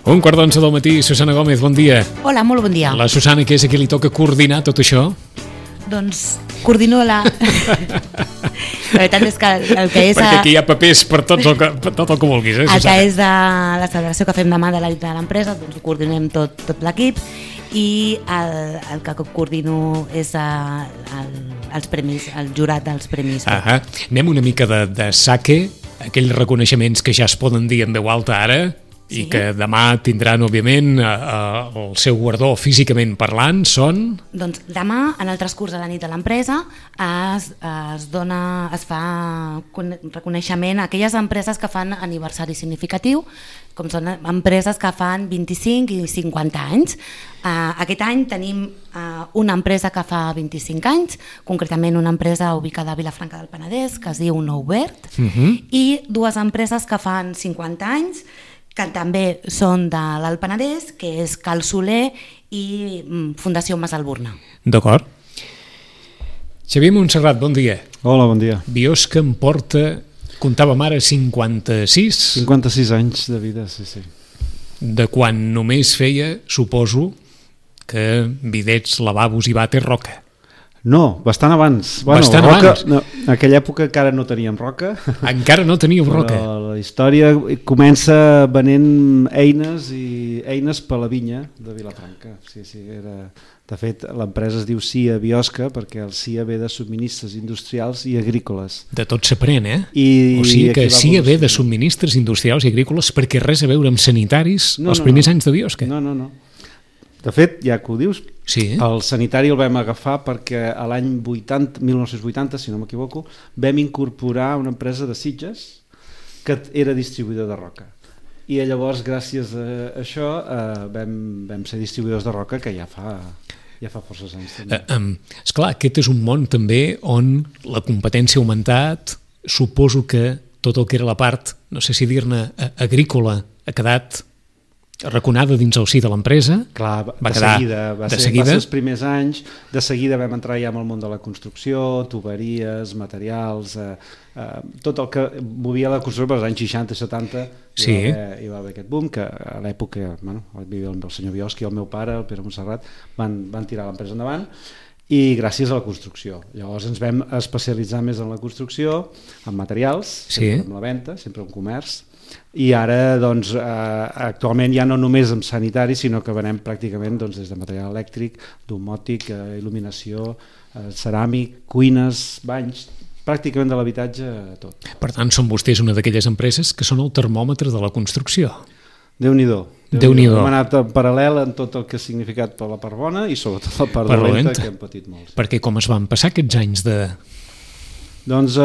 1:15 del matí, Susana Gómez, bon dia. Hola, molt bon dia. La Susana, que és a qui li toca coordinar tot això? Doncs coordino la... La veritat és que el que és... Perquè aquí hi ha papers per tot el que vulguis, El Susana? que és de la celebració que fem demà de l'empresa, doncs ho coordinem tot l'equip, i el que coordino és els premis, el jurat dels premis. Anem una mica de saque, aquells reconeixements que ja es poden dir en veu alta ara, i que demà tindran, òbviament, el seu guardó físicament parlant, són... Doncs demà, en el transcurs de la nit de l'empresa, es fa reconeixement a aquelles empreses que fan aniversari significatiu, com són empreses que fan 25 i 50 anys. Aquest any tenim una empresa que fa 25 anys, concretament una empresa ubicada a Vilafranca del Penedès, que es diu Nou Verd, i dues empreses que fan 50 anys, que també són de l'Alt Penedès, que és Cal Soler i Fundació Mas Alburna. D'acord. Xavier Montserrat, bon dia. Hola, bon dia. Biosca em porta, comptàvem ara, 56? 56 anys de vida, sí. De quan només feia, suposo, que bidets, lavabos i vàter roca. No, bastant abans. Bastant abans? No, en aquella època encara no teníem roca. Encara no teníeu roca? Però la història comença venent eines per la vinya de Vilafranca. Sí, era... De fet, l'empresa es diu CIA Biosca perquè el CIA ve de subministres industrials i agrícoles. De tot s'aprèn, eh? O sigui que CIA ve de subministres industrials i agrícoles perquè res a veure amb sanitaris els primers anys de Biosca. No. De fet, ja que ho dius, el sanitari el vam agafar perquè a l'any 1980, si no m'equivoco, vam incorporar una empresa de Sitges que era distribuïdor de roca. I llavors, gràcies a això, vam ser distribuïdors de roca, que ja fa forces anys. Esclar, aquest és un món també on la competència ha augmentat. Suposo que tot el que era la part, no sé si dir-ne, agrícola, ha quedat raconada dins el si de l'empresa. Clar, va ser els primers anys. De seguida vam entrar ja en el món de la construcció, tuberies, materials, tot el que movia la construcció per als anys 60 i 70 hi va haver aquest boom, que a l'època vivia el senyor Biosca i el meu pare, el Pere Montserrat, van tirar l'empresa endavant, i gràcies a la construcció. Llavors ens vam especialitzar més en la construcció, en materials, sempre en la venda, sempre en comerç, i ara doncs, actualment ja no només amb sanitari, sinó que venem pràcticament des de material elèctric, domòtic, il·luminació, ceràmic, cuines, banys, pràcticament de l'habitatge, tot. Per tant, són vostès una d'aquelles empreses que són el termòmetre de la construcció. Déu-n'hi-do. Déu-n'hi-do. Hem anat en paral·lel en tot el que ha significat per la part bona i sobretot la part dolenta, que hem patit molt. Perquè com es van passar aquests anys de... Doncs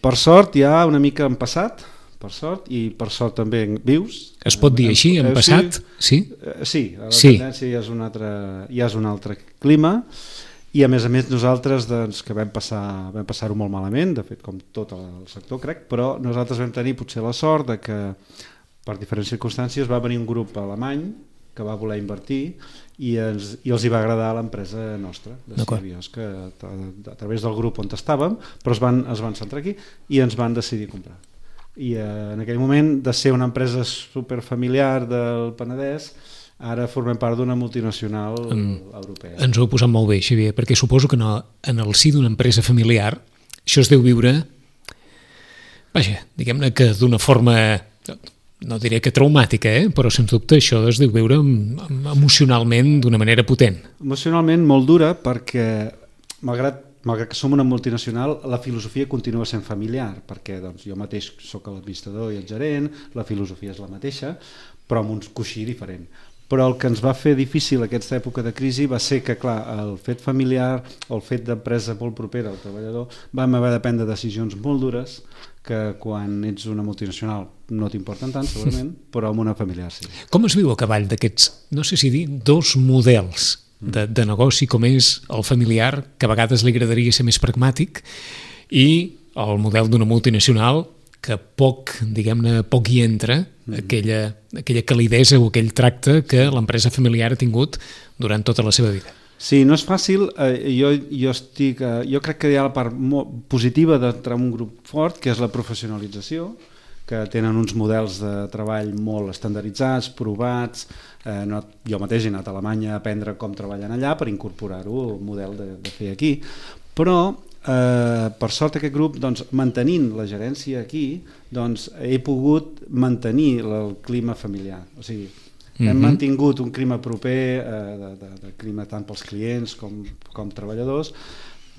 per sort ja una mica han passat, per sort, i per sort també vius. Es pot dir així, han passat? Sí, la tendència ja és un altre clima, i a més nosaltres que vam passar-ho molt malament, de fet com tot el sector crec, però nosaltres vam tenir potser la sort de que per diferents circumstàncies va venir un grup alemany que va voler invertir i els hi va agradar l'empresa nostra de CIA Biosca, a través del grup on estàvem, però es van centrar aquí i ens van decidir comprar. I en aquell moment, de ser una empresa superfamiliar del Penedès, ara formem part d'una multinacional europea. Ens ho heu posat molt bé, Xavier, perquè suposo que en el si d'una empresa familiar això es deu viure, diguem-ne que d'una forma, no diré que traumàtica, però sens dubte això es deu viure emocionalment d'una manera potent. Emocionalment molt dura, perquè malgrat que som una multinacional, la filosofia continua sent familiar, perquè jo mateix soc l'administrador i el gerent, la filosofia és la mateixa, però amb un coixí diferent. Però el que ens va fer difícil aquesta època de crisi va ser que, clar, el fet familiar o el fet d'empresa molt propera al treballador, vam haver de prendre decisions molt dures que quan ets una multinacional no t'importen tant, segurament, però amb una familiar sí. Com es viu a cavall d'aquests, no sé si dir, dos models de negoci, com és el familiar, que a vegades li agradaria ser més pragmàtic, i el model d'una multinacional que poc hi entra aquella calidesa o aquell tracte que l'empresa familiar ha tingut durant tota la seva vida. Sí, no és fàcil. Jo crec que hi ha la part positiva d'entrar en un grup fort, que és la professionalització, que tenen uns models de treball molt estandarditzats, provats. Jo mateix he anat a Alemanya a aprendre com treballen allà per incorporar-ho al model de fer aquí. Però, per sort aquest grup, doncs, mantenint la gerència aquí, doncs, he pogut mantenir el clima familiar. O sigui, hem mantingut un clima proper, de clima tant pels clients com treballadors,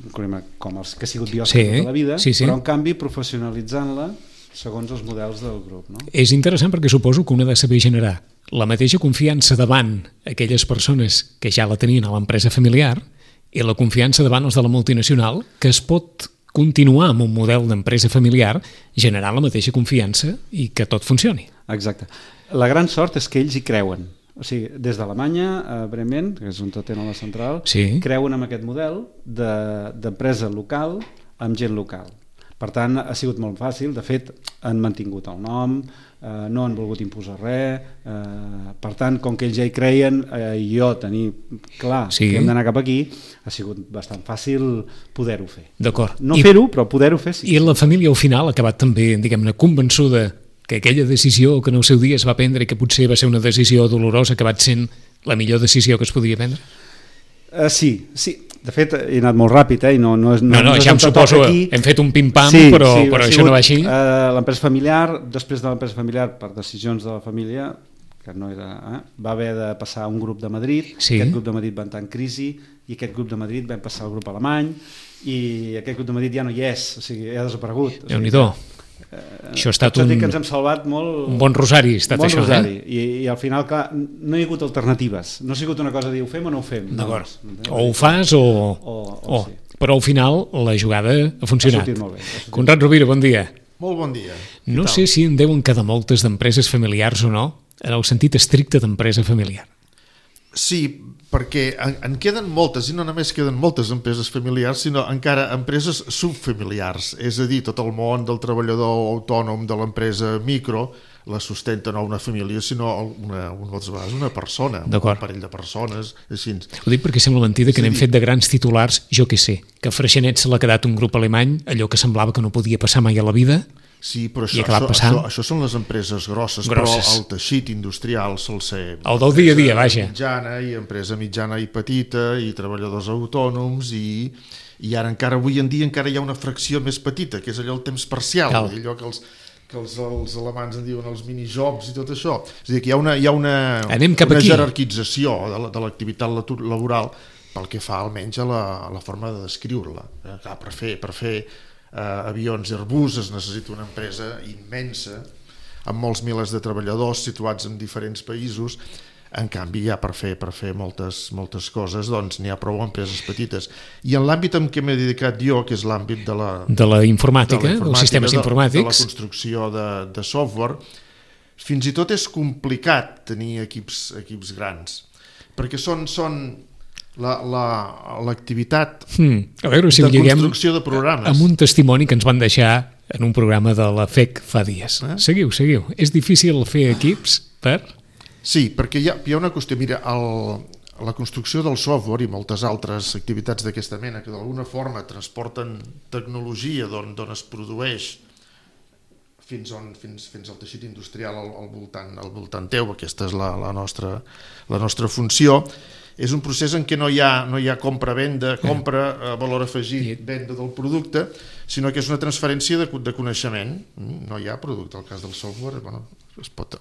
un clima com els que ha sigut biòsfera tota la vida, però en canvi professionalitzant-la segons els models del grup. No? És interessant perquè suposo que un ha de saber generar la mateixa confiança davant aquelles persones que ja la tenien a l'empresa familiar i la confiança davant els de la multinacional, que es pot continuar amb un model d'empresa familiar generant la mateixa confiança i que tot funcioni. Exacte. La gran sort és que ells hi creuen. O sigui, des d'Alemanya, a Bremen, que és on tenen la central, creuen en aquest model d'empresa local amb gent local. Per tant, ha sigut molt fàcil. De fet, han mantingut el nom, no han volgut imposar res. Per tant, com que ells ja hi creien, jo tenir clar que hem d'anar cap aquí, ha sigut bastant fàcil poder-ho fer. D'acord. No fer-ho, però poder-ho fer sí. I la família al final ha acabat també, diguem-ne, convençuda que aquella decisió que en el seu dia es va prendre i que potser va ser una decisió dolorosa ha acabat sent la millor decisió que es podia prendre? Sí. De fet, he anat molt ràpid, i no ja em suposo, hem fet un pim-pam, però això no va així. L'empresa familiar, després de l'empresa familiar, per decisions de la família, que no era, va haver de passar a un grup de Madrid, aquest grup de Madrid va entrar en crisi, i aquest grup de Madrid va passar al grup alemany, i aquest grup de Madrid ja no hi és, o sigui, ja ha desaparegut. Déu-n'hi-do. Això ha estat que ens hem salvat molt... Un bon rosari ha estat això, I al final, clar, no hi ha hagut alternatives. No ha sigut una cosa de dir, ho fem o no ho fem. D'acord. O ho fas o sí. Però al final la jugada ha funcionat. Ha sortit molt bé. Conrad Rovira, bon dia. Molt bon dia. No sé si en deuen quedar moltes d'empreses familiars o no, en el sentit estricte d'empresa familiar. Sí, perquè en queden moltes, i no només queden moltes empreses familiars, sinó encara empreses subfamiliars, és a dir, tot el món del treballador autònom de l'empresa micro la sustenta no una família, sinó moltes vegades una persona, un parell de persones, així. Ho dic perquè sembla mentida que n'hem fet de grans titulars, jo què sé, que a Freixenet se l'ha quedat un grup alemany, allò que semblava que no podia passar mai a la vida. Sí, però això són les empreses grosses, però el teixit industrial sol ser... El del dia a dia, vaja. Empresa mitjana i petita, i treballadors autònoms, i ara encara avui en dia encara hi ha una fracció més petita, que és allò el temps parcial, allò que els alemans en diuen els minijobs i tot això. És a dir, que hi ha una jerarquització de l'activitat laboral pel que fa almenys a la forma de descriure-la. Per fer avions Airbus es necessita una empresa immensa amb molts milers de treballadors situats en diferents països. En canvi, ja per fer moltes coses, doncs n'hi ha prou empreses petites. I en l'àmbit en què m'he dedicat jo, que és l'àmbit de la informàtica, dels sistemes informàtics, de la construcció de software, fins i tot és complicat tenir equips grans, perquè són l'activitat de construcció de programes. Amb un testimoni que ens van deixar en un programa de la FEC fa dies. Seguiu. És difícil fer equips per... Sí, perquè hi ha una qüestió. Mira, la construcció del software i moltes altres activitats d'aquesta mena que d'alguna forma transporten tecnologia d'on es produeix fins al teixit industrial al voltant teu, aquesta és la nostra funció. És un procés en què no hi ha compra-venda, compra, valor afegit, venda del producte, sinó que és una transferència de coneixement. No hi ha producte. El cas del software, es pot...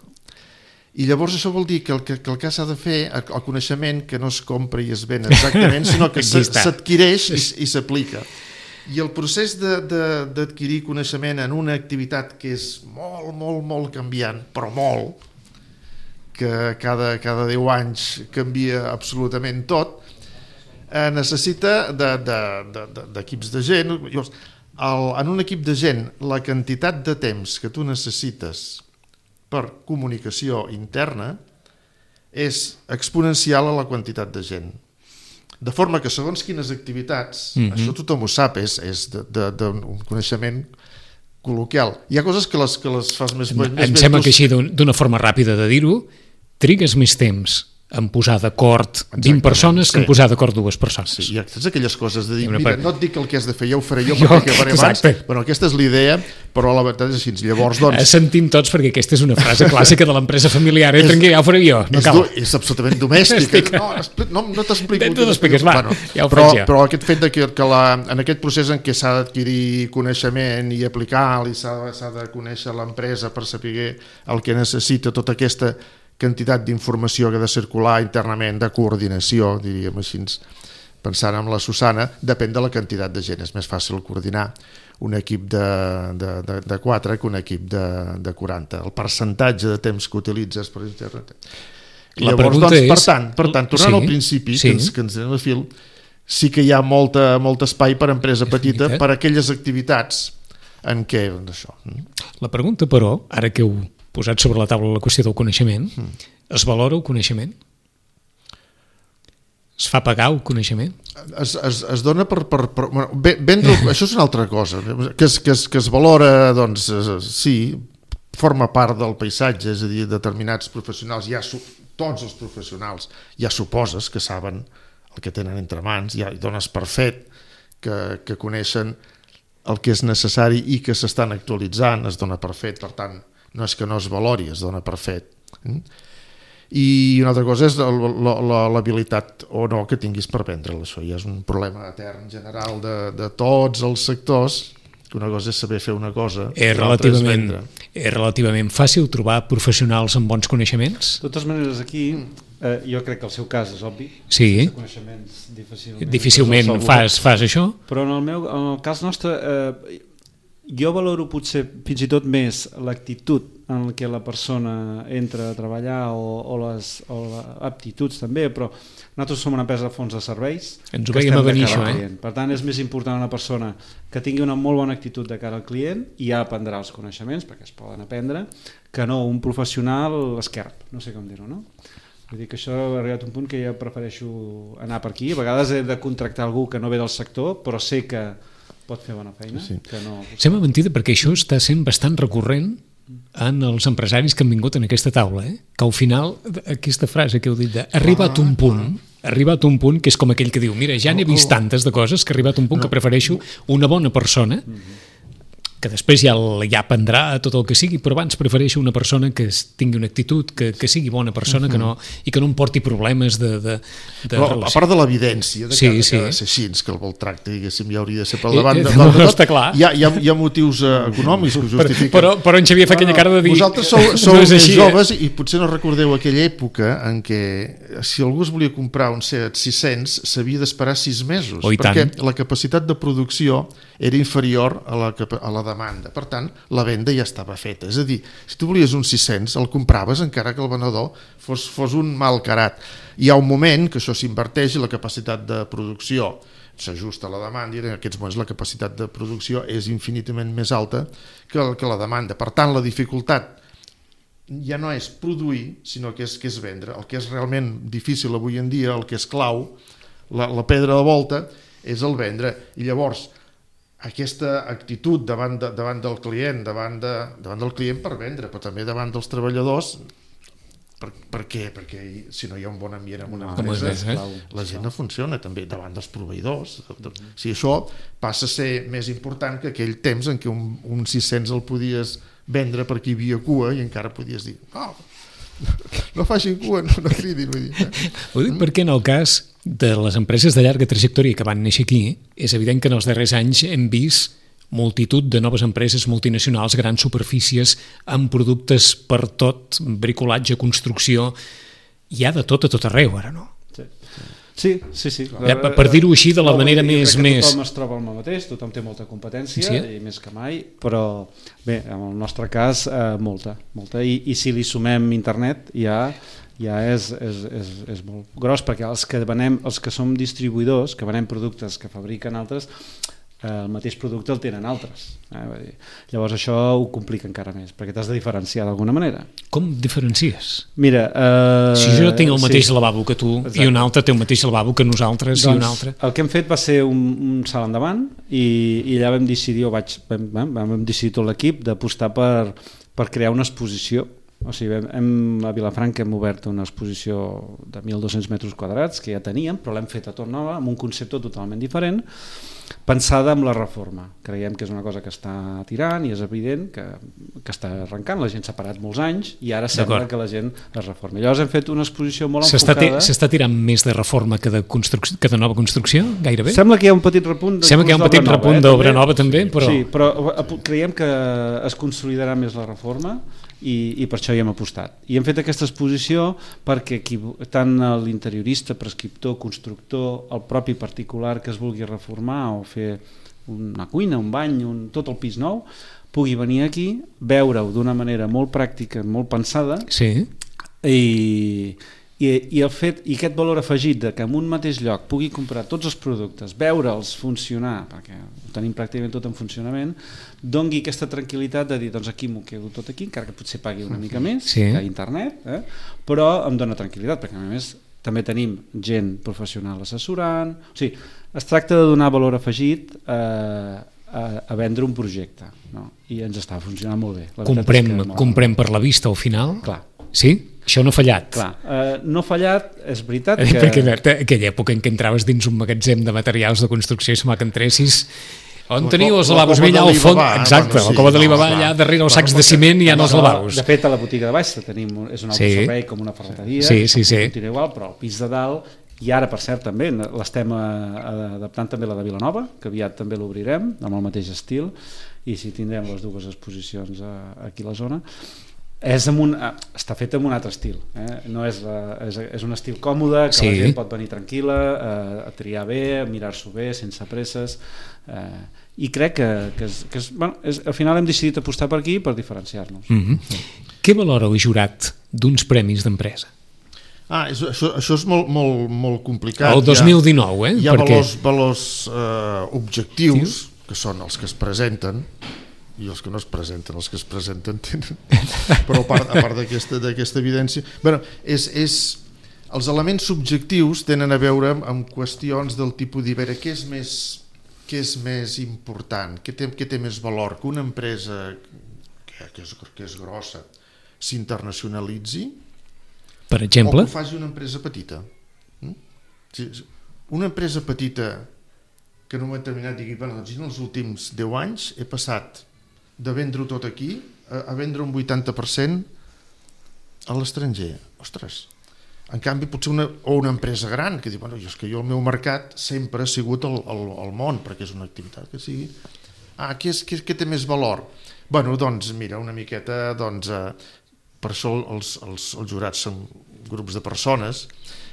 I llavors això vol dir que el que s'ha de fer, el coneixement que no es compra i es ven exactament, sinó que s'adquireix i s'aplica. I el procés d'adquirir coneixement en una activitat que és molt, molt, molt canviant, però molt, que cada 10 anys canvia absolutament tot, necessita d'equips de gent. En un equip de gent, la quantitat de temps que tu necessites per comunicació interna és exponencial a la quantitat de gent. De forma que segons quines activitats, això tothom ho sap, és d'un coneixement col·loquial. Hi ha coses que les fas més... Em sembla que així, d'una forma ràpida de dir-ho, trigues més temps en posar d'acord 20 persones que en posar d'acord 2 persones. Sí, hi ha totes aquelles coses de dir, mira, no et dic el que has de fer, ja ho faré jo perquè acabaré abans. Bueno, aquesta és l'idea, però la veritat és així. Llavors, doncs... Sentim tots, perquè aquesta és una frase clàssica de l'empresa familiar. Tranquil, ja ho faré jo, no cal. És absolutament domèstic. No t'explico. Tu t'expliques, va, ja ho faig jo. Però aquest fet que en aquest procés en què s'ha d'adquirir coneixement i aplicar-lo, i s'ha de conèixer l'empresa per saber el que necessita, tota aquesta quantitat d'informació que ha de circular internament, de coordinació, diríem així, pensant en la Susana, depèn de la quantitat de gent. És més fàcil coordinar un equip de 4 que un equip de 40. El percentatge de temps que utilitzes per internet. Llavors, doncs, per tant, tornant al principi, que ens anem a fil, sí que hi ha molt espai per empresa petita, per aquelles activitats en què... La pregunta, però, ara que heu posat sobre la taula la qüestió del coneixement, es valora el coneixement? Es fa pagar el coneixement? Es dona per vendre... Això és una altra cosa. Que es valora, doncs, sí, forma part del paisatge, és a dir, determinats professionals, tots els professionals ja suposes que saben el que tenen entre mans, ja hi dones per fet que coneixen el que és necessari i que s'estan actualitzant, es dona per fet, per tant, no és que no es valori, es dona per fet. I una altra cosa és l'habilitat o no que tinguis per vendre-la. Això ja és un problema etern general de tots els sectors, que una cosa és saber fer una cosa, l'altra és vendre. És relativament fàcil trobar professionals amb bons coneixements? De totes maneres, aquí jo crec que el seu cas és obvi. Sí. Sense coneixements difícilment fas això? Però en el cas nostre... Jo valoro potser fins i tot més l'actitud en què la persona entra a treballar o les aptituds també, però nosaltres som una empresa de fons de serveis. Ens ho veiem a venir això, Per tant, és més important una persona que tingui una molt bona actitud de cara al client i ja aprendrà els coneixements, perquè es poden aprendre, que no un professional esquerp, no sé com dir-ho, no? Vull dir que això ha arribat a un punt que jo prefereixo anar per aquí. A vegades he de contractar algú que no ve del sector, però sé que pot fer bona feina. Sí. Sembla mentida perquè això està sent bastant recurrent en els empresaris que han vingut en aquesta taula, que al final aquesta frase que heu dit de arribat un punt que és com aquell que diu mira, ja n'he vist tantes de coses que ha arribat un punt que prefereixo una bona persona que després ja aprendrà tot el que sigui, però abans prefereixo una persona que tingui una actitud, que sigui bona persona, i que no em porti problemes de però, relació. A part de l'evidència que ha de ser així, que el tracte, diguéssim, ja hauria de ser per davant de tot, està clar. Hi ha motius econòmics que ho justifiquen. Però en Xavier fa aquella cara de dir... Vosaltres sou més joves i potser no recordeu aquella època en què si algú es volia comprar un Seat 600 s'havia d'esperar 6 mesos, perquè la capacitat de producció era inferior a la demanda. Per tant, la venda ja estava feta. És a dir, si tu volies un 600, el compraves encara que el venedor fos un mal carat. Hi ha un moment que això s'inverteix i la capacitat de producció s'ajusta a la demanda i en aquests moments la capacitat de producció és infinitament més alta que la demanda. Per tant, la dificultat ja no és produir, sinó que és vendre. El que és realment difícil avui en dia, el que és clau, la pedra de volta, és el vendre. I llavors, aquesta actitud davant del client, davant del client per vendre, però també davant dels treballadors. Per què? Perquè si no hi ha un bon ambient en una empresa, la gent no funciona, també davant dels proveïdors. Si això passa a ser més important que aquell temps en què un 600 el podies vendre perquè hi havia cua i encara podies dir no facin cua, no cridin. Ho dic perquè en el cas de les empreses de llarga trajectòria que van néixer aquí, és evident que en els darrers anys hem vist multitud de noves empreses multinacionals, grans superfícies, amb productes per tot, bricolatge, construcció, hi ha de tot a tot arreu ara, no? Sí. Per dir-ho així de la manera més... Tothom es troba al mateix, tothom té molta competència, i més que mai, però bé, en el nostre cas molta. I si li sumem internet ja és molt gros, perquè els que som distribuïdors, que venem productes que fabriquen altres, el mateix producte el tenen altres. Llavors això ho complica encara més, perquè t'has de diferenciar d'alguna manera. Com diferencies? Mira... si jo tinc el mateix lavabo que tu, exacte, i un altre té el mateix lavabo que nosaltres, doncs, i un altre... El que hem fet va ser un salt endavant i allà vam decidir, vam decidir tot l'equip d'apostar per crear una exposició O sigui, a Vilafranca hem obert una exposició de 1.200 metres quadrats que ja teníem, però l'hem fet a tot nova, amb un concepte totalment diferent, pensada amb la reforma. Creiem que és una cosa que està tirant i és evident que està arrencant. La gent s'ha parat molts anys i ara sembla que la gent es reformi. Llavors hem fet una exposició molt enfocada... S'està tirant més de reforma que de nova construcció, gairebé? Sembla que hi ha un petit repunt d'obra nova també, però... Sí, però creiem que es consolidarà més la reforma i per això hi hem apostat. I hem fet aquesta exposició perquè tant l'interiorista, prescriptor, constructor, el propi particular que es vulgui reformar o fer una cuina, un bany, tot el pis nou, pugui venir aquí, veure-ho d'una manera molt pràctica, molt pensada, sí. I aquest valor afegit de que en un mateix lloc pugui comprar tots els productes, veure'ls funcionar, perquè ho tenim pràcticament tot en funcionament, dongui aquesta tranquil·litat de dir, doncs aquí m'ho quedo tot aquí, encara que potser pagui una mica més que a internet, però em dona tranquil·litat, perquè a més també tenim gent professional assessorant, o sigui, es tracta de donar valor afegit a vendre un projecte, no? I ens està funcionant molt bé. Comprem per la vista al final? Clar. Sí? Això no ha fallat? Clar, no ha fallat, és veritat que... Perquè aquella època en què entraves dins un magatzem de materials de construcció i sembla que entressis... On teniu els lavabos? Allà al fons, exacte, el cova de l'Alibaba, allà darrere els sacs de ciment hi ha els lavabos. De fet, a la botiga de baix tenim, és un autoservei com una ferreteria, continua igual, però al pis de dalt, i ara per cert també, l'estem adaptant també la de Vilanova, que aviat també l'obrirem, amb el mateix estil, i si tindrem les dues exposicions aquí a la zona. Està fet amb un altre estil, no és un estil còmode, que la gent pot venir tranquil·la, a triar bé, a mirar-s'ho bé, sense presses, i crec que al final hem decidit apostar per aquí per diferenciar-nos. Què valora el jurat d'uns premis d'empresa? Això és molt complicat. El 2019, hi ha valors objectius, que són els que es presenten, i els que no es presenten, els que es presenten tenen... Però a part d'aquesta evidència... Els elements subjectius tenen a veure amb qüestions del tipus de veure què és més important, què té més valor, que una empresa que és grossa s'internacionalitzi, per exemple, o que ho faci una empresa petita. Una empresa petita que en un moment determinat digui, doncs en els últims 10 anys he passat de vendre-ho tot aquí a vendre un 80% a l'estranger. Ostres! En canvi, potser una empresa gran que diu, és que jo el meu mercat sempre ha sigut el món, perquè és una activitat que sigui... Què té més valor? Doncs mira, una miqueta, per això els jurats són grups de persones,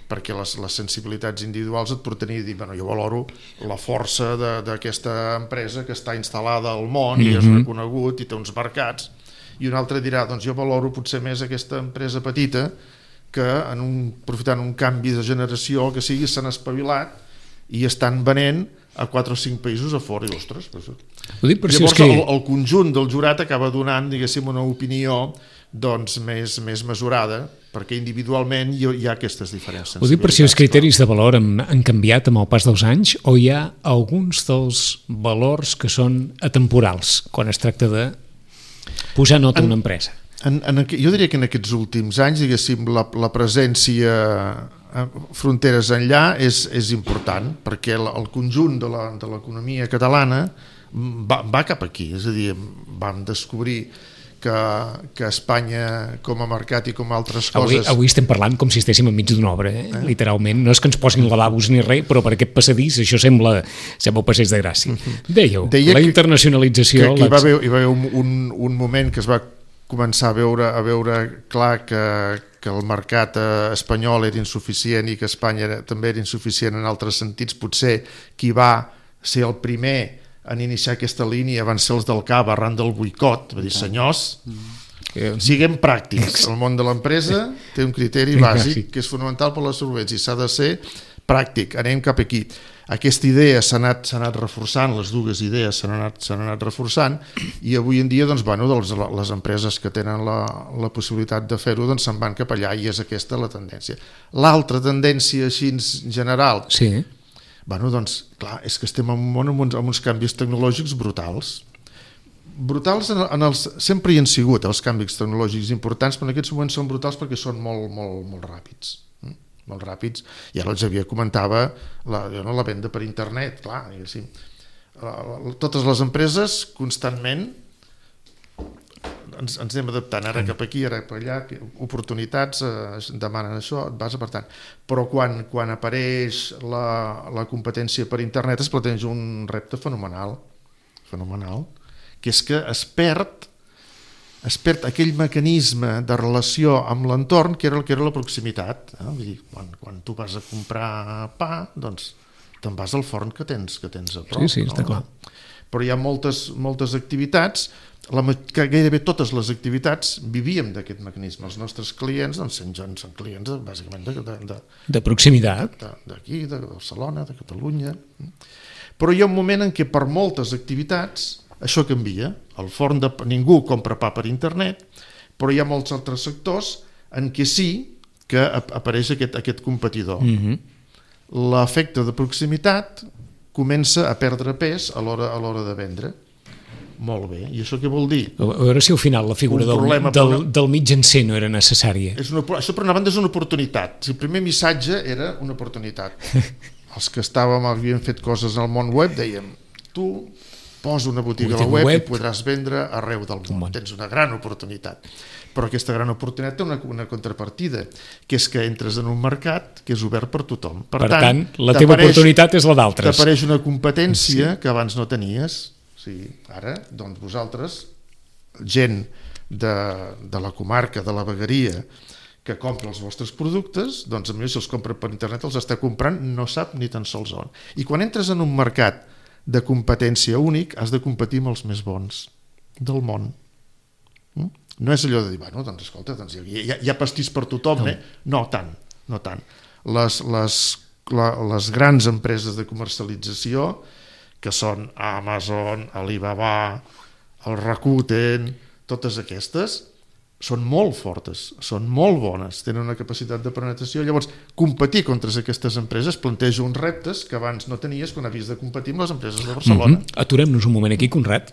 perquè les sensibilitats individuals et porten a dir, jo valoro la força d'aquesta empresa que està instal·lada al món i és reconegut i té uns mercats, i un altre dirà, jo valoro potser més aquesta empresa petita que aprofitant un canvi de generació que sigui, s'han espavilat i estan venent a 4 o 5 països a fora, i ostres, llavors el conjunt del jurat acaba donant, diguéssim, una opinió més mesurada, perquè individualment hi ha aquestes diferències. Ho dic per si els criteris de valor han canviat amb el pas dels anys, o hi ha alguns dels valors que són atemporals quan es tracta de posar nota a una empresa? Jo diria que en aquests últims anys, diguéssim, la presència fronteres enllà és important, perquè el conjunt de l'economia catalana va cap aquí, és a dir, vam descobrir que Espanya com a mercat i com a altres coses... Avui estem parlant com si estéssim enmig d'una obra, literalment. No és que ens posin lavabos ni res, però per aquest passadís això sembla passeig de Gràcia. Dèieu, la internacionalització... Hi va haver un moment que es va començar a veure clar que el mercat espanyol era insuficient i que Espanya també era insuficient en altres sentits. Potser qui va ser el primer en iniciar aquesta línia van ser els del CAB arran del boicot, va dir, senyors, siguem pràctics. El món de l'empresa té un criteri bàsic que és fonamental per la solvència i s'ha de ser pràctic, anem cap aquí. Aquesta idea s'ha anat reforçant, les dues idees s'han anat reforçant, i avui en dia les empreses que tenen la possibilitat de fer-ho se'n van cap allà, i és aquesta la tendència. L'altra tendència així general... Sí. Clar, és que estem en un món amb uns canvis tecnològics brutals. brutals sempre hi han sigut els canvis tecnològics importants, però en aquests moments són brutals perquè són molt ràpids. Molt ràpids. I ara el Xavier comentava la venda per internet, clar, sí. Totes les empreses constantment ens anem adaptant, ara cap aquí, ara cap allà, oportunitats, demanen això, et vas apartant. Però quan apareix la competència per internet es planteja un repte fenomenal, que és que es perd aquell mecanisme de relació amb l'entorn que era la proximitat. Vull dir, quan tu vas a comprar pa, doncs te'n vas al forn que tens a prop. Sí, està clar. Però hi ha moltes activitats, gairebé totes les activitats vivíem d'aquest mecanisme. Els nostres clients són clients bàsicament de proximitat, d'aquí, de Barcelona, de Catalunya. Però hi ha un moment en què per moltes activitats això canvia. Al forn ningú compra pa per internet, però hi ha molts altres sectors en què sí que apareix aquest competidor. L'efecte de proximitat comença a perdre pes a l'hora de vendre. Molt bé, i això què vol dir? A veure si al final la figura del mitjancer no era necessària. Això per una banda és una oportunitat. El primer missatge era una oportunitat. Els que havíem fet coses al món web dèiem, tu posa una botiga a la web i podràs vendre arreu del món. Tens una gran oportunitat. Però aquesta gran oportunitat té una contrapartida, que és que entres en un mercat que és obert per tothom. Per tant, la teva oportunitat és la d'altres. T'apareix una competència que abans no tenies. Ara, doncs vosaltres, gent de la comarca, de la vegueria, que compra els vostres productes, doncs a mi si els compra per internet els està comprant, no sap ni tan sols on. I quan entres en un mercat de competència únic, has de competir amb els més bons del món. No és allò de dir, doncs escolta, hi ha pastís per tothom, no tant. Les grans empreses de comercialització, que són Amazon, Alibaba, el Rakuten, totes aquestes, són molt fortes, són molt bones, tenen una capacitat de penetració. Llavors, competir contra aquestes empreses planteja uns reptes que abans no tenies quan havies de competir amb les empreses de Barcelona. Aturem-nos un moment aquí, Conrad.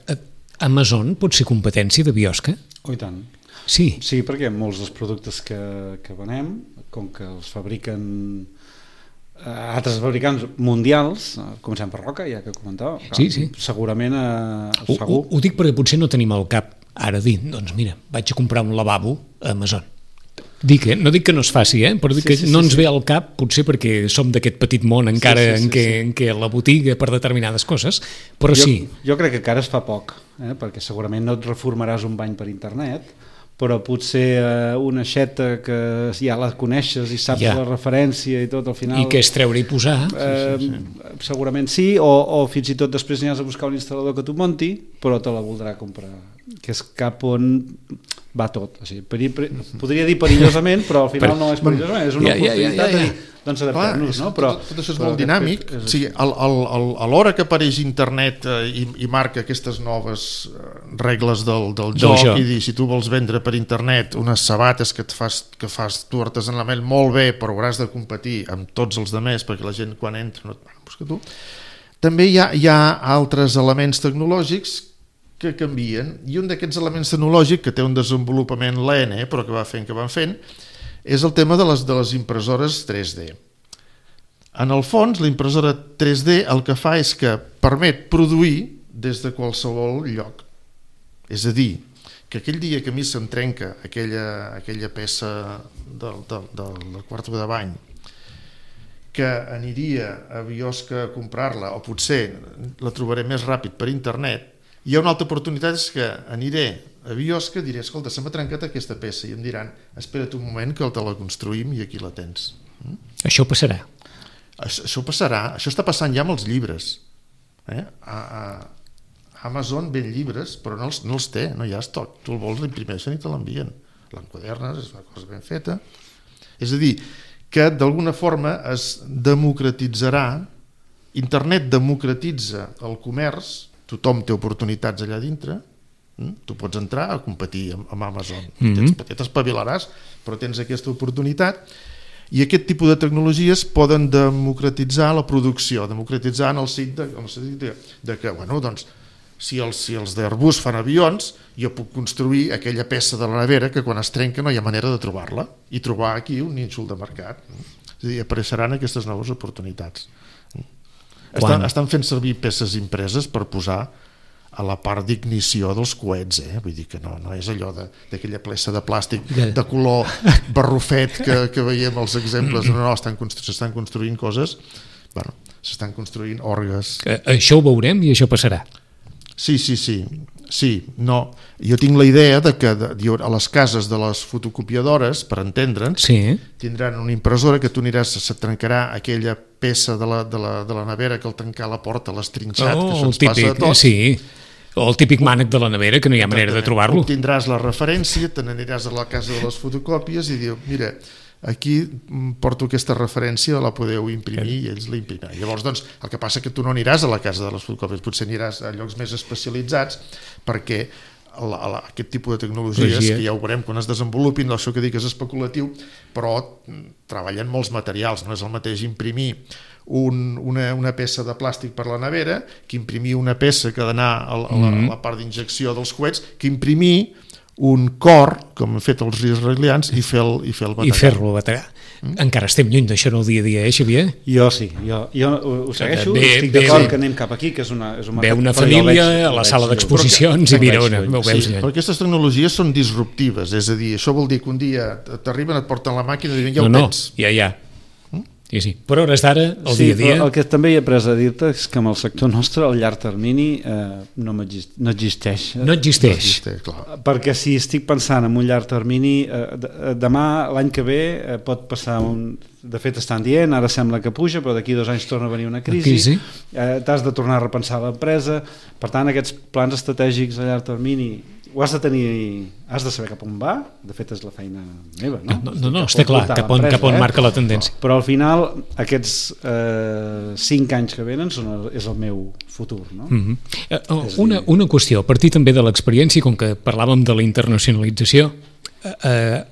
Amazon pot ser competència de Biosca? Oh, i tant. Sí, perquè molts dels productes que venem, com que els fabriquen altres fabricants mundials, comencem per Roca, ja que comentava, sí. Segurament segur. Ho dic perquè potser no tenim al cap ara dir, doncs mira, vaig a comprar un lavabo a Amazon. No dic que no es faci, però dic que no ens ve al cap, potser perquè som d'aquest petit món encara en què la botiga per determinades coses, però sí. Jo crec que encara es fa poc, perquè segurament no et reformaràs un bany per internet, però potser una aixeta que ja la coneixes i saps la referència i tot al final... I que és treure i posar. Segurament sí, o fins i tot després n'hi has de buscar un instal·lador que t'ho monti, però te la voldrà comprar, que és cap on va tot. O sigui, podria dir perillosament, però al final no és perillosament, és una oportunitat de dir, doncs adaptar-nos, no? Tot això és molt dinàmic. A l'hora que apareix internet i marca aquestes noves regles del joc i dir, si tu vols vendre per internet unes sabates que fas tu artesanalment molt bé, però hauràs de competir amb tots els demés perquè la gent quan entra busca tu. També hi ha altres elements tecnològics que canvien, i un d'aquests elements tecnològics que té un desenvolupament lent, però que van fent, és el tema de les impressores 3D. En el fons, la impressora 3D el que fa és que permet produir des de qualsevol lloc. És a dir, que aquell dia que a mi se'm trenca aquella peça del quarto de bany, que aniria a Biosca a comprar-la, o potser la trobaré més ràpid per internet, hi ha una altra oportunitat, és que aniré a Biosca i diré, escolta, se m'ha trencat aquesta peça, i em diran, espera't un moment que te la construïm i aquí la tens. Això passarà. Això passarà, això està passant ja amb els llibres. A Amazon ven llibres, però no els té, no hi ha estoc. Tu el vols, l'imprimeixen i te l'envien. L'enquadernes, és una cosa ben feta. És a dir, que d'alguna forma es democratitzarà, internet democratitza el comerç, tothom té oportunitats allà dintre, tu pots entrar a competir amb Amazon, t'espavilaràs, però tens aquesta oportunitat, i aquest tipus de tecnologies poden democratitzar la producció, democratitzar en el sentit de que, si els d'Airbus fan avions, jo puc construir aquella peça de la nevera que quan es trenca no hi ha manera de trobar-la i trobar aquí un nínxol de mercat. És a dir, apareixeran aquestes noves oportunitats. Estan fent servir peces impreses per posar a la part d'ignició dels coets, vull dir que no és allò d'aquella peça de plàstic de color barrufet que veiem els exemples, s'estan construint coses, s'estan construint orgues. Això ho veurem i això passarà. Sí, no. Jo tinc la idea de que a les cases de les fotocopiadores, per entendre'ns, tindran una impressora que tu aniràs, se trencarà aquella peça de la nevera que al tancar la porta l'has trinxat, que això ens passa a tots. Sí, o el típic mànec de la nevera que no hi ha manera de trobar-lo. Tindràs la referència, te n'aniràs a la casa de les fotocòpies i diu, mira, aquí porto aquesta referència, la podeu imprimir i ells la imprimiran. Llavors, doncs, el que passa que tu no aniràs a la casa de les fotocòpies, potser aniràs a llocs més especialitzats perquè aquest tipus de tecnologies, que ja ho veurem quan es desenvolupin, això que dic és especulatiu, però treballen molts materials, no és el mateix imprimir una peça de plàstic per la nevera que imprimir una peça que ha d'anar a la part d'injecció dels coets, que imprimir un cor, com han fet els israelians, i fer-lo bategar. I fer-lo bategar. Encara estem lluny d'això en el dia a dia, Xavier? Jo sí, jo ho segueixo, estic d'acord que anem cap aquí, que és un mercat. Ve una família a la sala d'exposicions i mira on ho veus. Però aquestes tecnologies són disruptives, és a dir, això vol dir que un dia t'arriben, et porten la màquina i diuen, ja ho tens. Ja. Sí. Per hores d'ara, el dia a dia... El que també he après a dir-te és que en el sector nostre el llarg termini no existeix. No existeix. Clar. Perquè si estic pensant en un llarg termini, demà, l'any que ve, pot passar de fet estan dient, ara sembla que puja, però d'aquí 2 anys torna a venir una crisi, t'has de tornar a repensar l'empresa, per tant aquests plans estratègics a llarg termini ho has de tenir, has de saber cap on va, de fet és la feina meva, no? No, està clar, cap on marca la tendència. Però al final aquests 5 anys que venen és el meu futur, no? Una qüestió, a partir també de l'experiència, com que parlàvem de la internacionalització,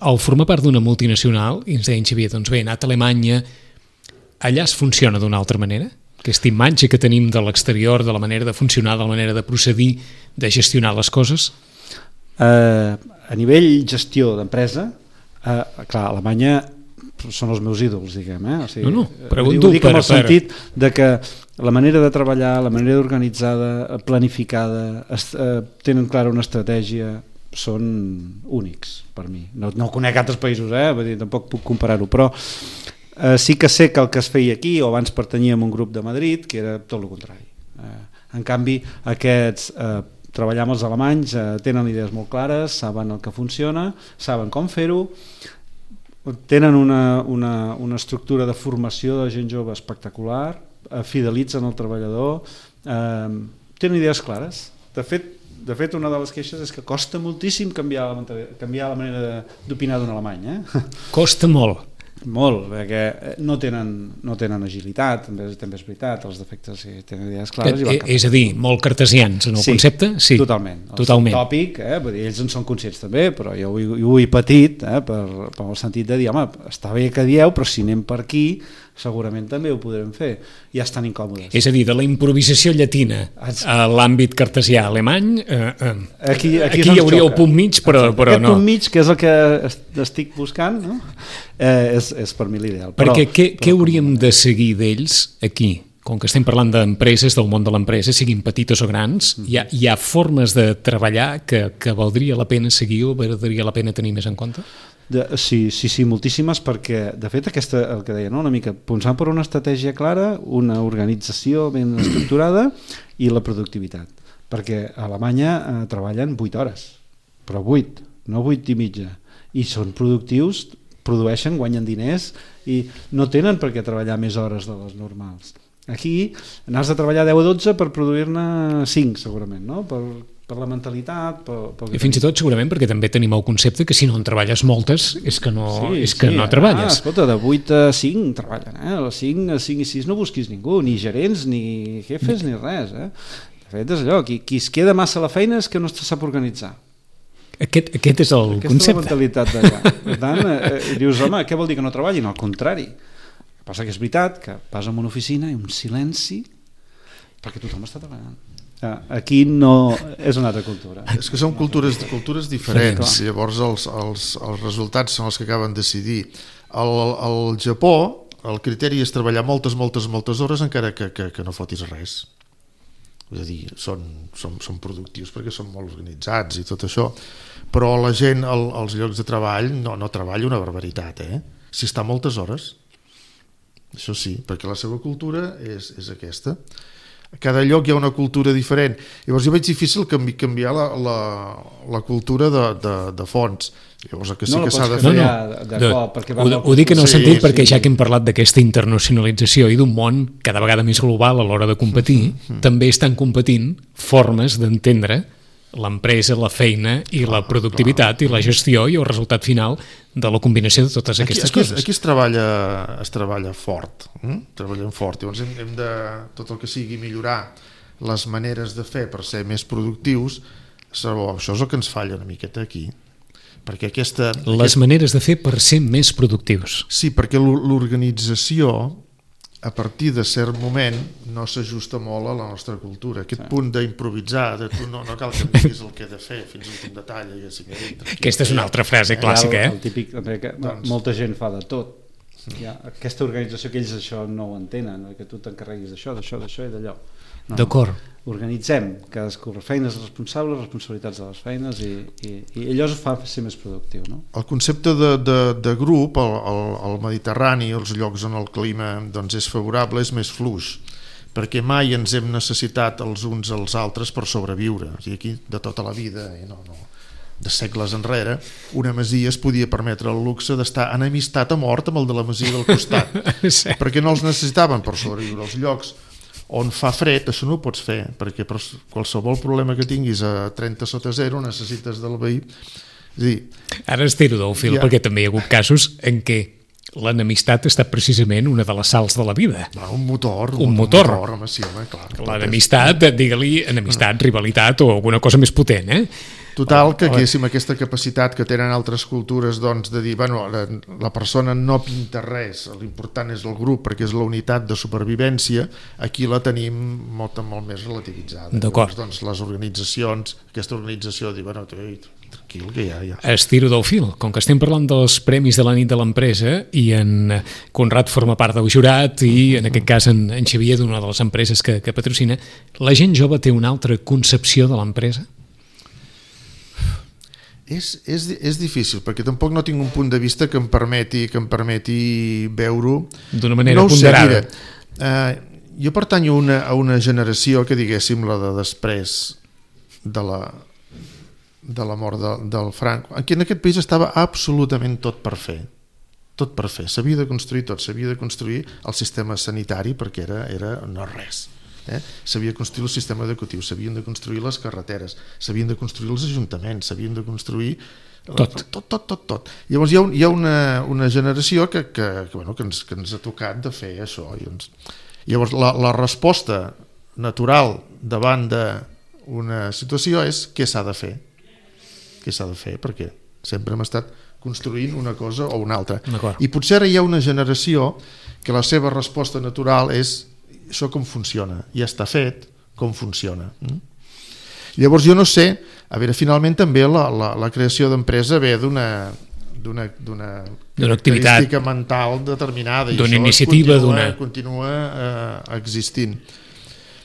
al formar part d'una multinacional, i ens deien, Xavier, doncs bé, he anat a Alemanya, allà es funciona d'una altra manera? Aquesta imatge que tenim de l'exterior, de la manera de funcionar, de la manera de procedir, de gestionar les coses? A nivell gestió d'empresa, clar, Alemanya són els meus ídols, diguem. O sigui, pregunto ho dic en el sentit de que la manera de treballar, la manera organitzada, planificada, tenen clara una estratègia, són únics per mi. No conec altres països, vull dir, tampoc puc comparar-ho, però sí que sé que el que es feia aquí, o abans pertanyia a un grup de Madrid, que era tot el contrari. En canvi, aquests treballar amb els alemanys, tenen idees molt clares, saben el que funciona, saben com fer-ho, tenen una estructura de formació de gent jove espectacular, fidelitzen el treballador, tenen idees clares. De fet, una de les queixes és que costa moltíssim canviar la manera d'opinar d'un alemany. Costa molt. Molt, perquè no tenen agilitat, també és veritat, els defectes tenen idees clares. És a dir, molt cartesians en el concepte? Sí, totalment. El tòpic, ells en són conscients també, però jo ho he patit per el sentit de dir, home, està bé que dieu, però si anem per aquí segurament també ho podrem fer, ja estan incòmodes. És a dir, de la improvisació llatina a l'àmbit cartesià alemany, aquí hi hauria el punt mig, però no. Aquest punt mig, que és el que estic buscant, no? És per mi l'ideal. Perquè què hauríem de seguir d'ells aquí? Com que estem parlant d'empreses, del món de l'empresa, siguin petites o grans, hi ha formes de treballar que valdria la pena seguir o valdria la pena tenir més en compte? Sí, moltíssimes, perquè de fet el que deia, una mica pensant per una estratègia clara, una organització ben estructurada i la productivitat, perquè a Alemanya treballen 8 hores, però 8, no 8 i mitja, i són productius, produeixen, guanyen diners i no tenen per què treballar més hores de les normals. Aquí n'has de treballar 10 o 12 per produir-ne 5 segurament, no? Per la mentalitat, i fins i tot segurament perquè també tenim el concepte que si no en treballes moltes és que no treballes. Escolta, de 8 a 5 treballen, a les 5 i 6 no busquis ningú, ni gerents, ni jefes, ni res. De fet és allò, qui es queda massa a la feina és que no se sap organitzar. Aquest és el concepte. Aquesta és la mentalitat d'allà. Per tant, dius, home, què vol dir que no treballin? Al contrari. El que passa que és veritat que vas a una oficina i un silenci perquè tothom està treballant. Aquí no és una altra cultura. És que són cultures diferents, llavors els resultats són els que acaben de decidir. Al Japó el criteri és treballar moltes hores encara que no fotis res. És a dir, són productius perquè són molt organitzats i tot això, però la gent als llocs de treball no treballa una barbaritat, si està moltes hores, això sí, perquè la seva cultura és aquesta. A cada lloc hi ha una cultura diferent. Llavors jo veig difícil canviar la cultura de fons. Llavors el que sí que s'ha de fer... Ho dic en el sentit perquè ja que hem parlat d'aquesta internacionalització i d'un món cada vegada més global a l'hora de competir, també estan competint formes d'entendre l'empresa, la feina i la productivitat i la gestió i el resultat final de la combinació de totes aquestes coses. Aquí es treballa fort, treballem fort. Llavors hem de, tot el que sigui millorar les maneres de fer per ser més productius, això és el que ens falla una miqueta aquí. Perquè les maneres de fer per ser més productius. Sí, perquè l'organització a partir de cert moment no s'ajusta molt a la nostra cultura. Aquest punt d'improvisar, de tu no cal que em diguis el que he de fer fins a l'últim detall. Aquesta és una altra frase clàssica. El típic, que molta gent fa de tot. Aquesta organització que ells això no ho entenen, que tu t'encarreguis d'això i d'allò. D'acord. Organitzem, cadascú feines responsables, responsabilitats de les feines i allò es fa ser més productiu. No? El concepte de grup al Mediterrani, els llocs on el clima és favorable, és més fluix, perquè mai ens hem necessitat els uns als altres per sobreviure. O sigui, aquí de tota la vida, de segles enrere, una masia es podia permetre el luxe d'estar en amistat a mort amb el de la masia del costat, perquè no els necessitaven per sobreviure. Els llocs on fa fred, això no ho pots fer, perquè per qualsevol problema que tinguis a 30 sota 0 necessites del veí. És dir, ara estiro del fil, perquè també hi ha hagut casos en què l'enemistat ha estat precisament una de les sals de la vida. Un motor. Home, sí, home, clar. L'enemistat, digue-li enemistat, rivalitat o alguna cosa més potent, Total, que haguéssim aquesta capacitat que tenen altres cultures de dir, la persona no pinta res, l'important és el grup perquè és la unitat de supervivència, aquí la tenim molt més relativitzada. D'acord. Llavors, les organitzacions, aquesta organització diu, tranquil, que ja. Estiro del fil, com que estem parlant dels premis de la nit de l'empresa i en Conrad forma part del jurat i en aquest cas en Xavier d'una de les empreses que patrocina, la gent jove té una altra concepció de l'empresa? És difícil, perquè tampoc no tinc un punt de vista que em permeti veure-ho d'una manera ponderada. Jo pertanyo a una generació que, diguéssim, la de després de la mort del Franco, en aquest país estava absolutament tot per fer. S'havia de construir tot, s'havia de construir el sistema sanitari perquè era no res. S'havia de construir el sistema educatiu, s'havien de construir les carreteres, s'havien de construir els ajuntaments, s'havien de construir tot. Llavors hi ha una generació que ens ha tocat de fer això. Llavors la resposta natural davant d'una situació és què s'ha de fer. Perquè sempre hem estat construint una cosa o una altra. I potser ara hi ha una generació que la seva resposta natural és això com funciona, ja està fet, com funciona. Llavors jo no sé, finalment també la creació d'empresa ve d'una activitat mental determinada, d'una iniciativa, continua existint.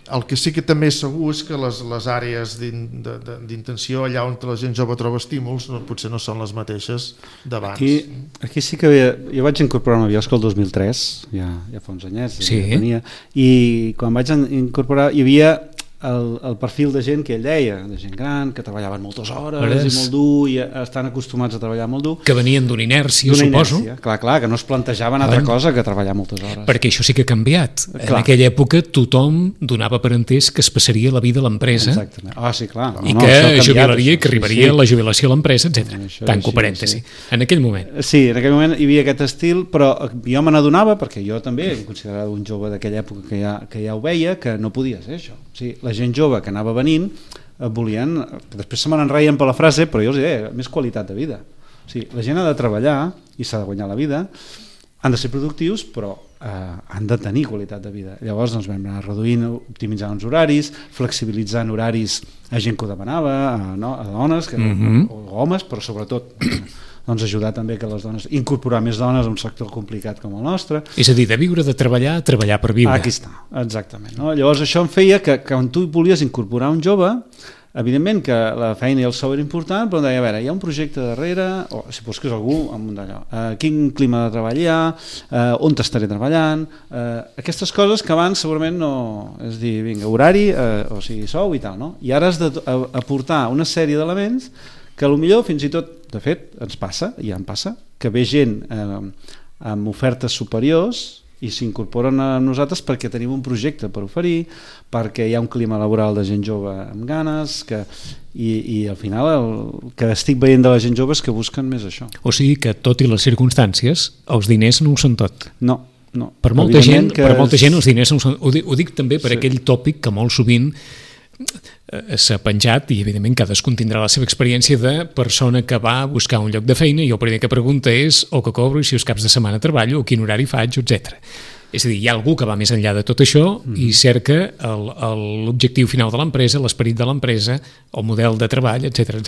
El que sí que també és segur és que les àrees d'intenció allà on la gent jove troba estímuls potser no són les mateixes d'abans. Aquí sí que jo vaig incorporar una biosca el 2003, ja fa uns anyets, i quan vaig incorporar hi havia el perfil de gent que ell deia, de gent gran, que treballaven moltes hores i molt dur, i estan acostumats a treballar molt dur. Que venien d'una inèrcia, suposo. Clar, que no es plantejaven altra cosa que treballar moltes hores. Perquè això sí que ha canviat. En aquella època tothom donava per entès que es passaria la vida a l'empresa. Exactament. Sí, clar. I que jubilaria, que arribaria la jubilació a l'empresa, etc. Tanco parèntesi. En aquell moment. Sí, en aquell moment hi havia aquest estil, però jo me n'adonava, perquè jo també em considerava un jove d'aquella època que ja ho veia, que no podia ser això. La gent jove que anava venint volien, després se me n'enreien per la frase, però jo els deia, més qualitat de vida. La gent ha de treballar i s'ha de guanyar la vida, han de ser productius, però han de tenir qualitat de vida. Llavors doncs, vam anar reduint, optimitzant els horaris, flexibilitzant horaris a gent que ho demanava, a dones o homes, però sobretot doncs, ajudar també que les dones, incorporar més dones a un sector complicat com el nostre. És a dir, de viure de treballar, treballar per viure. Aquí està, exactament. No? Llavors això em feia que quan tu volies incorporar un jove, evidentment que la feina i el sou era important, però em deia, a veure, hi ha un projecte darrere, o si busques algú amb d'allò, quin clima de treball hi ha, on t'estaré treballant, aquestes coses que abans segurament no, és dir, vinga, horari, o sigui, sou i tal, no? I ara has d'aportar una sèrie d'elements que potser fins i tot, de fet, ens passa, i ja em passa, que ve gent amb ofertes superiors i s'incorporen a nosaltres perquè tenim un projecte per oferir, perquè hi ha un clima laboral de gent jove amb ganes, i al final el que estic veient de la gent jove és que busquen més això. O sigui que, tot i les circumstàncies, els diners no ho són tot. No. Per molta gent els diners no ho són. Ho dic també per aquell tòpic que molt sovint s'ha penjat, i evidentment cadascú tindrà la seva experiència de persona que va a buscar un lloc de feina i el primer que pregunta és o que cobro i si els caps de setmana treballo o quin horari faig, etc. És a dir, hi ha algú que va més enllà de tot això i cerca l'objectiu final de l'empresa, l'esperit de l'empresa, el model de treball, etc.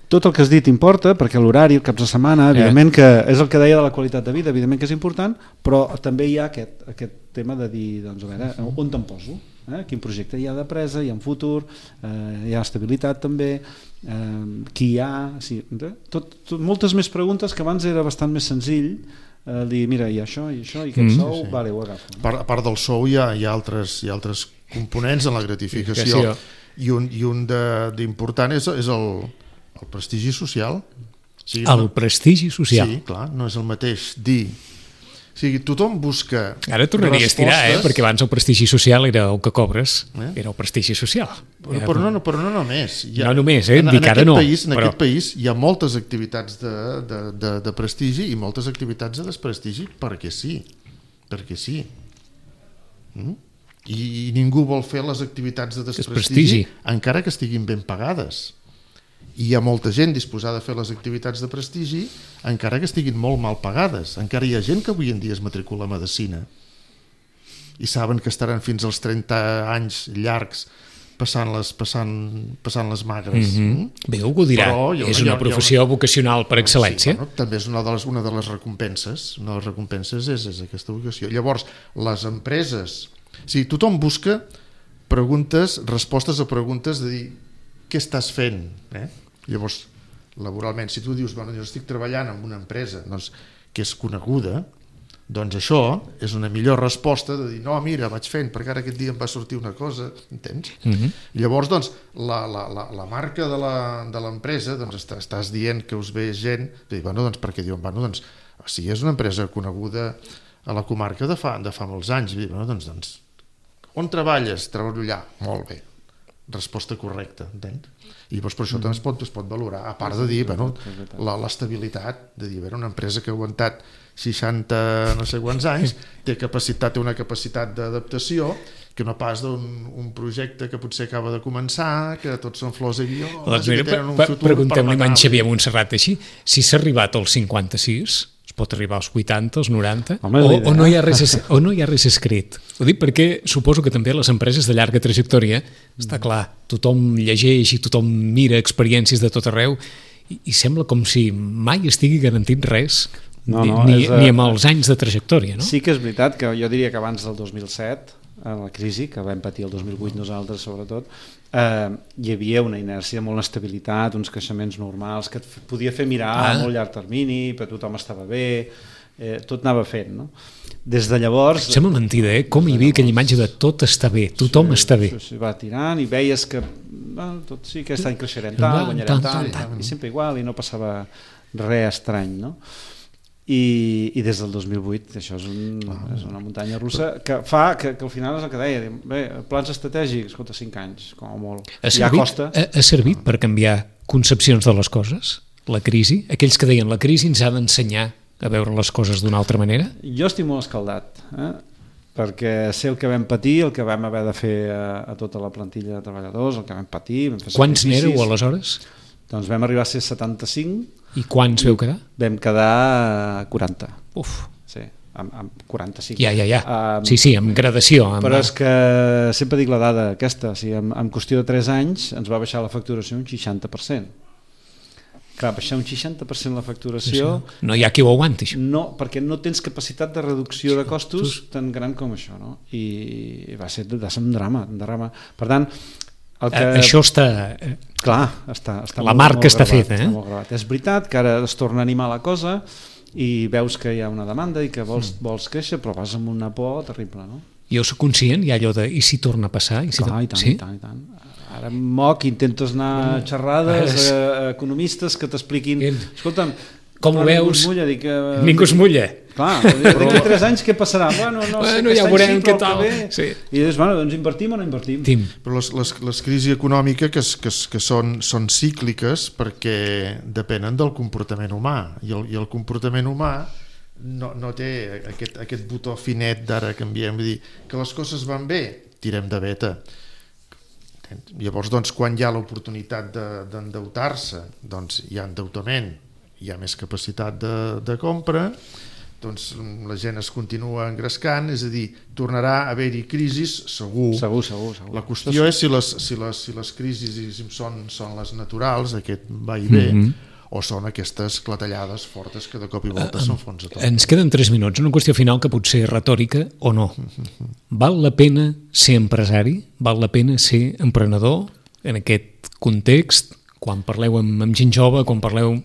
Tot el que has dit importa, perquè l'horari, el caps de setmana, evidentment que és el que deia de la qualitat de vida, evidentment que és important, però també hi ha aquest tema de dir, doncs, a veure, on te'n poso? Quin projecte hi ha de presa, hi ha un futur, hi ha estabilitat també, qui hi ha... Moltes més preguntes que abans era bastant més senzill dir, mira, hi ha això i aquest sou, vale, ho agafo. A part del sou hi ha altres components en la gratificació, i un d'important és el prestigi social. El prestigi social. Sí, clar, no és el mateix dir... O sigui, tothom busca Ara tornaria a estirar, perquè abans el prestigi social era el que cobres, era el prestigi social. Però no només. No només, dic ara no. En aquest país hi ha moltes activitats de prestigi i moltes activitats de desprestigi perquè sí. I ningú vol fer les activitats de desprestigi encara que estiguin ben pagades. I hi ha molta gent disposada a fer les activitats de prestigi encara que estiguin molt mal pagades. Encara hi ha gent que avui en dia es matricula a medicina i saben que estaran fins als 30 anys llargs passant les magres. Bé, algú dirà, és una professió vocacional per excel·lència. Sí, també és una de les recompenses. Una de les recompenses és aquesta vocació. Llavors, les empreses... tothom busca respostes a preguntes de dir què estàs fent? Llavors, laboralment, si tu dius, jo estic treballant en una empresa que és coneguda, doncs això és una millor resposta de dir, no, mira, vaig fent, perquè ara aquest dia em va sortir una cosa, entens? Llavors, doncs, la marca de l'empresa, doncs, estàs dient que us ve gent, perquè diuen, si és una empresa coneguda a la comarca de fa molts anys, doncs, on treballes? Treballo allà, molt bé. Resposta correcta, entens? I llavors per això també es pot valorar, a part de dir l'estabilitat, de dir, una empresa que ha aguantat 60 no sé quants anys, té una capacitat d'adaptació que no pas d'un projecte que potser acaba de començar, que tots són flors i violes, que tenen un futur. Preguntem-li a en Xavier Montserrat així, si s'ha arribat als 56, es pot arribar als 80, als 90, o no hi ha res escrit. Ho dic perquè suposo que també les empreses de llarga trajectòria, està clar, tothom llegeix i tothom mira experiències de tot arreu i sembla com si mai estigui garantint res, ni amb els anys de trajectòria. No? Sí que és veritat que jo diria que abans del 2007, en la crisi, que vam patir el 2008 nosaltres sobretot, hi havia una inèrcia, molt estabilitat, uns creixements normals que et podia fer mirar a molt llarg termini, però tothom estava bé, tot anava fent, no? Des de llavors... Sembla mentida, com hi havia aquella imatge de tot està bé, tothom està bé. Va tirant i veies que tot sí, aquest any creixerem tant, guanyarem tant, i sempre igual, i no passava res estrany, no? I des del 2008 això és una muntanya russa que fa que al final és el que deia, bé, plans estratègics, escolta, 5 anys com a molt, ja costa. Ha servit per canviar concepcions de les coses, la crisi? Aquells que deien la crisi ens ha d'ensenyar a veure les coses d'una altra manera? Jo estic molt escaldat, perquè sé el que vam patir, el que vam haver de fer a tota la plantilla de treballadors, el que vam patir, vam fer sacrificis. Quants n'éreu aleshores? Doncs vam arribar a ser 75. I quants veu quedar? Vam quedar 40. Uf. Sí. amb 45. Ja. Sí, amb gradació. Però és que sempre dic la dada aquesta, o sigui, en qüestió de 3 anys ens va baixar la facturació un 60%. Clar, baixar un 60% la facturació... No hi ha qui ho aguanti, això. No, perquè no tens capacitat de reducció de costos tan gran com això, no? I va ser un drama. Per tant, això està... Clar, està la marca està feta, Està molt gravat. És veritat que ara es torna a animar la cosa i veus que hi ha una demanda i que vols créixer, però vas amb una por terrible, no? Jo soc conscient, hi ha allò de i si torna a passar? Clar, i tant. Ara moc, intentes anar a xerrades a economistes que t'expliquin... Escolta'm, com ho veus? Ningú es mulla. Clar, d'aquí 3 anys què passarà? Bueno, ja veurem què tal. I dius, doncs invertim o no invertim? Però les crisis econòmiques que són cícliques perquè depenen del comportament humà i el comportament humà no té aquest botó finet d'ara canviem, vull dir que les coses van bé, tirem de veta. Llavors, doncs, quan hi ha l'oportunitat d'endeutar-se, doncs hi ha endeutament, hi ha més capacitat de compra, doncs la gent es continua engrescant, és a dir, tornarà a haver-hi crisis segur. La qüestió és si les crisis són les naturals, aquest va i ve, o són aquestes clatellades fortes que de cop i volta s'enfonsa tot. Ens queden 3 minuts, una qüestió final que pot ser retòrica o no. Val la pena ser empresari? Val la pena ser emprenedor en aquest context? Quan parleu amb gent jove, quan parleu...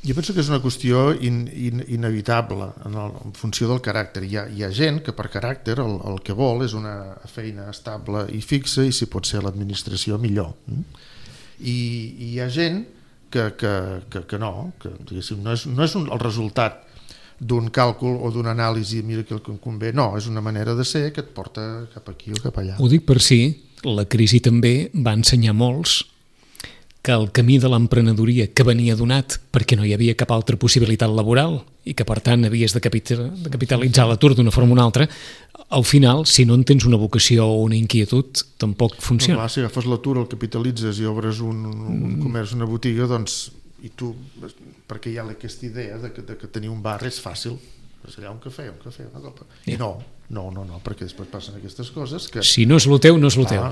Jo penso que és una qüestió inevitable en funció del caràcter. Hi ha gent que per caràcter el que vol és una feina estable i fixa i si pot ser l'administració millor. I hi ha gent que no, que diguéssim, no és el resultat d'un càlcul o d'una anàlisi, mira que el que em convé, no, és una manera de ser que et porta cap aquí o cap allà. Ho dic per si la crisi també va ensenyar molts que el camí de l'emprenedoria que venia donat perquè no hi havia cap altra possibilitat laboral i que per tant havies de capitalitzar l'atur d'una forma o una altra, al final, si no en tens una vocació o una inquietud, tampoc funciona. No, clar, si agafes l'atur, el capitalitzes i obres un comerç, una botiga, doncs, i tu, perquè hi ha aquesta idea de que tenir un bar és fàcil, és allà un cafè, una copa. I no, perquè després passen aquestes coses que... Si no és lo teu, no és lo teu.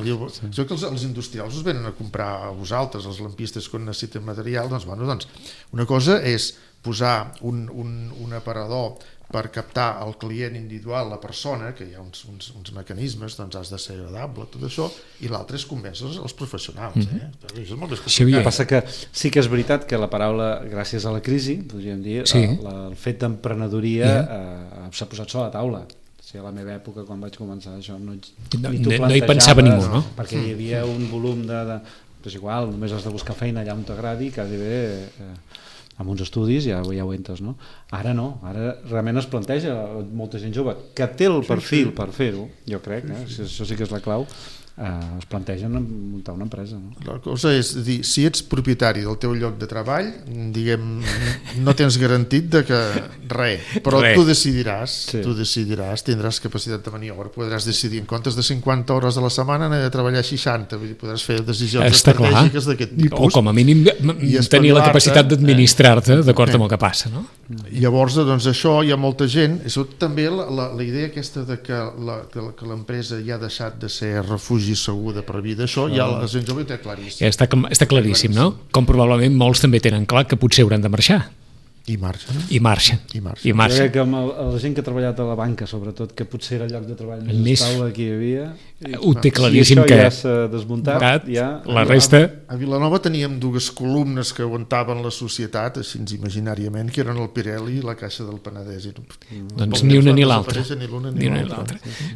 Jo que els industrials us venen a comprar a vosaltres, els lampistes quan necessiten material, doncs una cosa és posar un aparador per captar el client individual, la persona, que hi ha uns mecanismes, doncs has de ser agradable, tot això, i l'altre és convèncer els professionals. És molt més complicat. El que passa que sí que és veritat que la paraula, gràcies a la crisi, podríem dir, el fet d'emprenedoria s'ha posat sobre la taula. A la meva època, quan vaig començar això, no hi pensava ningú, no? Perquè hi havia un volum de... És igual, només has de buscar feina allà on t'agradi, quasi bé... amb uns estudis ja ho entres, no? Ara no, ara realment es planteja molta gent jove que té el perfil per fer-ho, jo crec, això sí que és la clau, es plantegen muntar una empresa, no? La cosa és dir, si ets propietari del teu lloc de treball, diguem, no tens garantit de que però tu decidiràs, tindràs capacitat de maniobra, podràs decidir en comptes de 50 hores a la setmana anar a treballar 60, vull dir, podràs fer decisions estratègiques d'aquest tipus. O com a mínim tenir la capitat d'administrar-te d'acord amb el que passa, no? Llavors, doncs això hi ha molta gent, i també la idea aquesta de que l'empresa ja ha deixat de ser refugi segur de per vida, això ja la gent jove ho té claríssim. Està claríssim, no? Com probablement molts també tenen clar que potser hauran de marxar. I marxen. I marxen. Jo crec que la gent que ha treballat a la banca, sobretot, que potser era el lloc de treball més estable que hi havia, ho té claríssim que ja s'ha desmuntat, la resta... A Vilanova teníem 2 columnes que aguantaven la societat, així imaginàriament, que eren el Pirelli i la Caixa del Penedès. Doncs ni una ni l'altra.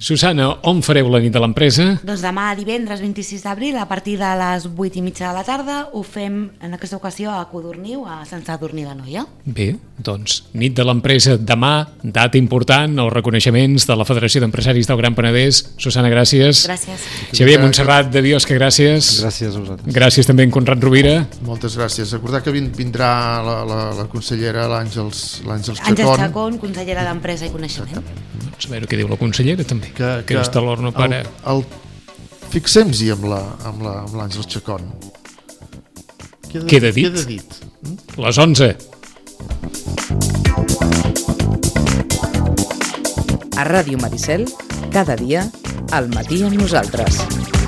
Susana, on fareu la nit de l'empresa? Doncs demà, divendres 26 d'abril, a partir de les 8:30 de la tarda, ho fem en aquesta ocasió a Codorniu, a Sant Sadurní d'Anoia. Bé, doncs, nit de l'empresa demà, data important, els reconeixements de la Federació d'Empresaris del Gran Penedès. Susana, gràcies. Gràcies. Xavier Montserrat de Biosca, gràcies. Gràcies a vosaltres. Gràcies també en Conrad Rovira. Moltes gràcies. Recordar que vindrà la consellera, l'Àngels Chacón. Àngels Chacón, consellera d'Empresa i Coneixement. Doncs a veure què diu la consellera també, que és de l'horno para... Fixem-hi amb l'Àngels Chacón. Queda dit. Les 11. A Ràdio Maricel, cada dia, al matí amb nosaltres.